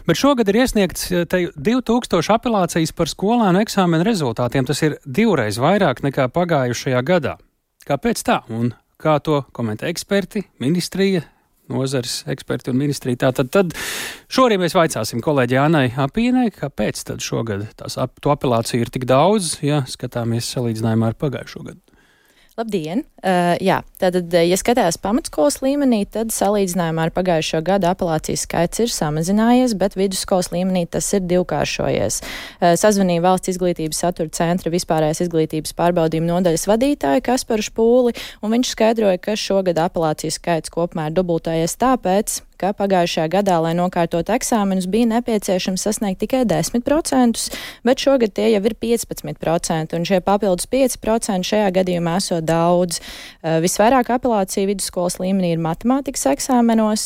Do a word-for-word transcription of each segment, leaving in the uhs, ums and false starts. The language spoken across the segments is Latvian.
Bet šogad ir iesniegts divi tūkstoši apelācijas par skolēnu eksāmenu rezultātiem. Tas ir divreiz vairāk nekā pagājušajā gadā. Kāpēc tā? Un kā to komentē eksperti, ministrija, nozares eksperti un ministrija? Tātad tad šorīt mēs vaicāsim kolēģi Annai Apīnei, kāpēc tad šogad tās ap, to apelāciju ir tik daudz, ja skatāmies salīdzinājumā ar pagājušo gadu. Labdien! Uh, jā, tātad, ja skatās pamatskolas līmenī, tad salīdzinājumā ar pagājušo gadu apelācijas skaits ir samazinājies, bet vidusskolas līmenī tas ir divkāršojies. Uh, sazvanīja Valsts izglītības satura centra vispārējās izglītības pārbaudījuma nodaļas vadītāju Kasparu Špūli, un viņš skaidroja, ka šogad apelācijas skaits kopumā ir dubultojies tāpēc, ka pagājušajā gadā, lai nokārtot eksāmenus, bija nepieciešams sasniegt tikai desmit procentus, bet šogad tie jau ir piecpadsmit procenti, un šie papildus pieci procenti šajā gadījumā esot daudz. Visvairāk apelācija vidusskolas līmenī ir matemātikas eksāmenos,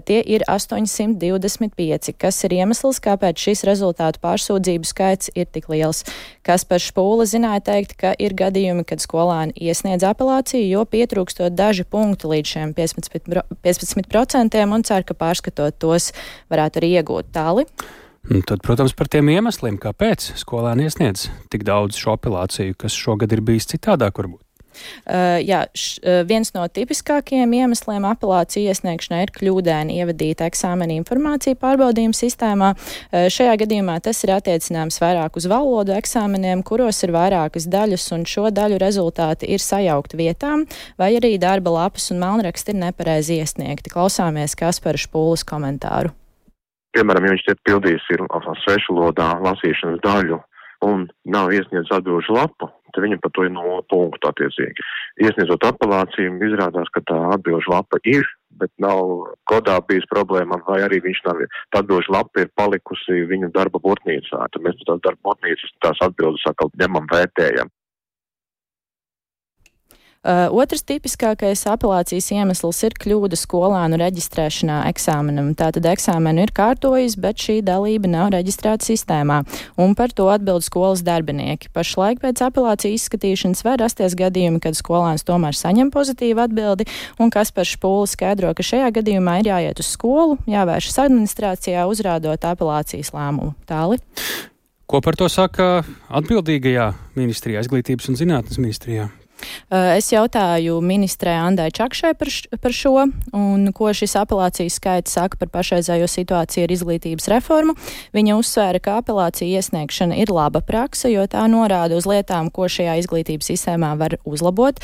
tie ir astoņsimt divdesmit pieci, kas ir iemesls, kāpēc šis rezultātu pārsūdzību skaits ir tik liels. Kaspars Špūle zināja teikt, ka ir gadījumi, kad skolēni iesniedz apelāciju, jo pietrūkstot daži punkti līdz šiem piecpadsmit procentiem, un cer, ka pārskatot tos varētu arī iegūt tāli. Un tad, protams, par tiem iemesliem, kāpēc skolēni iesniedz tik daudz šo apelāciju, kas šogad ir bijis citādāk varbūt. Uh, jā, š, uh, viens no tipiskākajiem iemesliem apelāciju iesniegšanai ir kļūdaini ievadīta eksāmena informācija pārbaudījuma sistēmā. Uh, šajā gadījumā tas ir attiecināms vairāk uz valodu eksāmeniem, kuros ir vairākas daļas, un šo daļu rezultāti ir sajaukti vietām, vai arī darba lapas un melnraksti ir nepareizi iesniegti. Klausāmies Kaspara Špūles komentāru. Piemēram, ja viņš tiek pildījis ir svešu valodā lasīšanas daļu un nav iesniedz atbilžu lapu, tad viņam par to ir nulle punktu attiecīgi. Iesniedzot apelāciju, izrādās, ka tā atbilžu lapa ir, bet nav kodā bijis problēma, vai arī viņš nav, tā atbilžu lapa ir palikusi viņa darba botnīcā. Tad mēs tās darba botnīcas, tās atbildes atkal ņemam, vērtējam. Uh, otrs tipiskākais apelācijas iemesls ir kļūda skolēnu reģistrēšanā eksāmenam. Tātad eksāmenu ir kārtojis, bet šī dalība nav reģistrēta sistēmā, un par to atbild skolas darbinieki. Pašlaik pēc apelāciju izskatīšanas var rasties gadījumi, kad skolēns tomēr saņem pozitīvu atbildi, un Kaspars Špūle skaidro, ka šajā gadījumā ir jāiet uz skolu, jāvēršas administrācijā, uzrādot apelācijas lēmumu. Tāli? Ko par to saka atbildīgajā ministrijā, izglītības un zinātnes ministrijā? Es jautāju ministrē Andai Čakšai par, š, par šo, un ko šis apelācijas skaits saka par pašreizējo situāciju ar izglītības reformu. Viņa uzsvēra, ka apelācija iesniegšana ir laba prakse, jo tā norāda uz lietām, ko šajā izglītības sistēmā var uzlabot.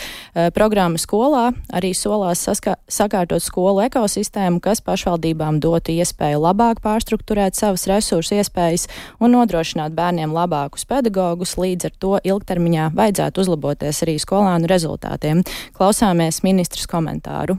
Programma skolā arī solās saskā, sakārtot skolu ekosistēmu, kas pašvaldībām dotu iespēju labāk pārstrukturēt savas resursu iespējas un nodrošināt bērniem labākus pedagogus, līdz ar to ilgtermiņā vajadzētu uzlaboties arī skolā rezultātiem. Klausāmies ministras komentāru.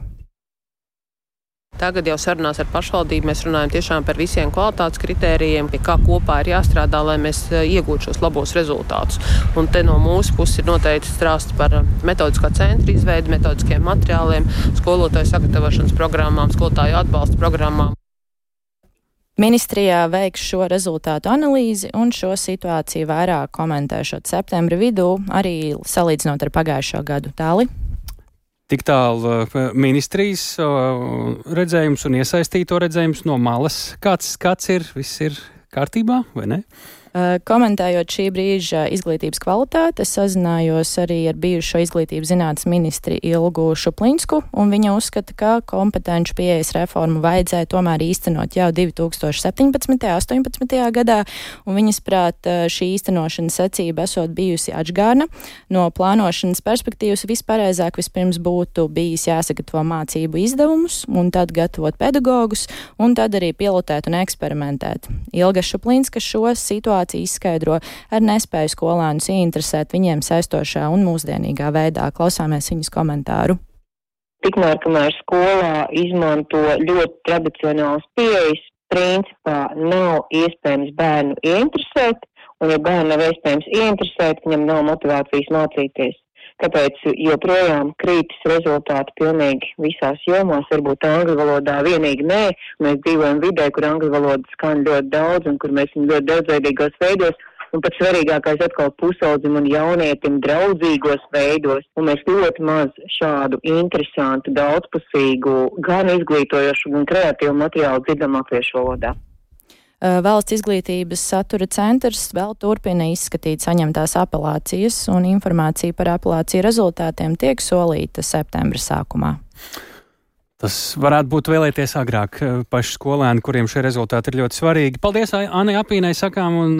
Tagad jau sarunās ar pašvaldību mēs runājam tiešām par visiem kvalitātes kritērijiem, pie kā kopā ir jāstrādā, lai mēs iegūtu šos labos rezultātus. Un te no mūsu puses ir noteikti strāsts par metodiskā centra izveidi, metodiskiem materiāliem, skolotāju sagatavošanas programmām, skolotāju atbalsta programmām. Ministrijā veiks šo rezultātu analīzi un šo situāciju vairāk komentēšot septembra vidū, arī salīdzinot ar pagājušo gadu. Tāli? Tik tālu ministrijas redzējums un iesaistīto redzējums no malas. Kāds skats ir? Viss ir kārtībā vai ne? Komentējot šī brīža izglītības kvalitāti, es sazinājos arī ar bijušo izglītības zinātnes ministri Ilgu Šuplinsku, un viņa uzskata, ka kompetenču pieejas reformu vajadzēja tomēr īstenot jau divi tūkstoši septiņpadsmitajā un astoņpadsmitajā gadā, un viņas prāt šī īstenošanas secība esot bijusi atžgārna. No plānošanas perspektīvas vispareizāk vispirms būtu bijis jāsagatavo mācību izdevumus, un tad gatavot pedagogus, un tad arī pilotēt un eksperimentēt. Ilga Šuplinska šo situāciju izskaidro ar nespēju skolēnus ieinteresēt viņiem saistošā un mūsdienīgā veidā. Klausāmies viņas komentāru. Tikmēr, kamēr skolā izmanto ļoti tradicionāls pieejas, principā nav iespējams bērnu ieinteresēt, un ja bērnu nav iespējams ieinteresēt, viņam nav motivācijas mācīties. Tāpēc joprojām krītas rezultāti pilnīgi visās jomās, varbūt angļu valodā vienīgi nē. Mēs dzīvojam vidē, kur angļu valoda skan ļoti daudz un kur mēs esam ļoti daudzveidīgos veidos. Un pats svarīgākais atkal pusaudzim un jaunietim draudzīgos veidos. Un mēs ļoti maz šādu interesantu, daudzpusīgu, gan izglītojošu, gan kreatīvu materiālu dzirdam latviešu valodā. Valsts izglītības satura centrs vēl turpina izskatīt saņemtās apelācijas, un informācija par apelāciju rezultātiem tiek solīta septembra sākumā. Tas varētu būt vēlēties agrāk paši skolēni, kuriem šie rezultāti ir ļoti svarīgi. Paldies Annai Apīnai sakām un